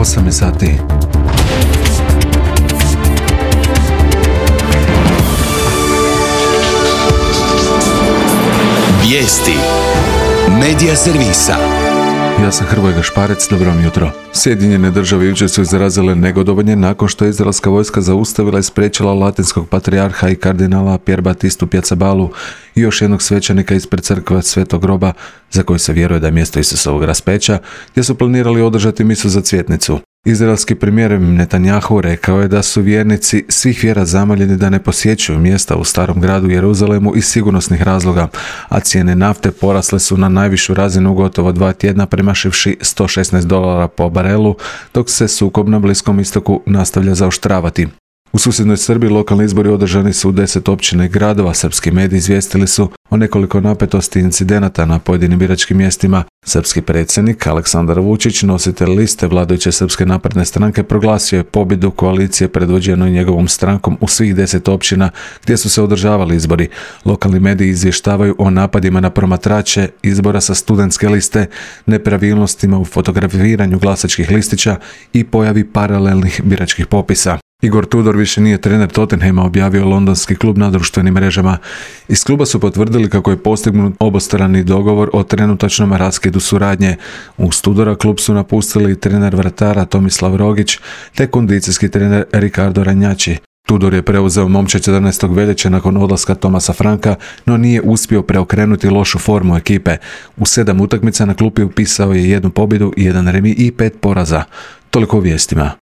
8 je sati. Vijesti Medija servisa. Ja sam Hrvoje Gašparec, dobro vam jutro. Sjedinjene države jučer su izrazile negodovanje nakon što je izraelska vojska zaustavila i spriječila latinskog patrijarha i kardinala Pier Battistu Piazzaballu i još jednog svećenika ispred crkve Svetog groba, za koji se vjeruje da je mjesto Isusovog raspeća, gdje su planirali održati misu za cvjetnicu. Izraelski premijer Netanjahu rekao je da su vjernici svih vjera zamoljeni da ne posjećuju mjesta u starom gradu Jeruzalemu iz sigurnosnih razloga, a cijene nafte porasle su na najvišu razinu u gotovo 2 tjedna, premašivši $116 po barelu, dok se sukob na Bliskom istoku nastavlja zaoštravati. U susjednoj Srbiji lokalni izbori održani su u 10 općina i gradova. Srpski mediji izvijestili su o nekoliko napetosti i incidenata na pojedinim biračkim mjestima. Srpski predsjednik Aleksandar Vučić, nositelj liste vladajuće Srpske napredne stranke, proglasio je pobjedu koalicije predvođenoj njegovom strankom u svih 10 općina gdje su se održavali izbori. Lokalni mediji izvještavaju o napadima na promatrače izbora sa studentske liste, nepravilnostima u fotografiranju glasačkih listića i pojavi paralelnih biračkih popisa. Igor Tudor više nije trener Tottenhama, objavio londonski klub na društvenim mrežama. Iz kluba su potvrdili kako je postignut obostrani dogovor o trenutačnom raskidu suradnje. Uz Tudora klub su napustili trener vratara Tomislav Rogić te kondicijski trener Ricardo Ragnacci. Tudor je preuzeo momče 14. veljače nakon odlaska Thomasa Franka, no nije uspio preokrenuti lošu formu ekipe. U 7 utakmica na klupi upisao je 1 pobjedu, 1 remi i 5 poraza. Toliko o vijestima.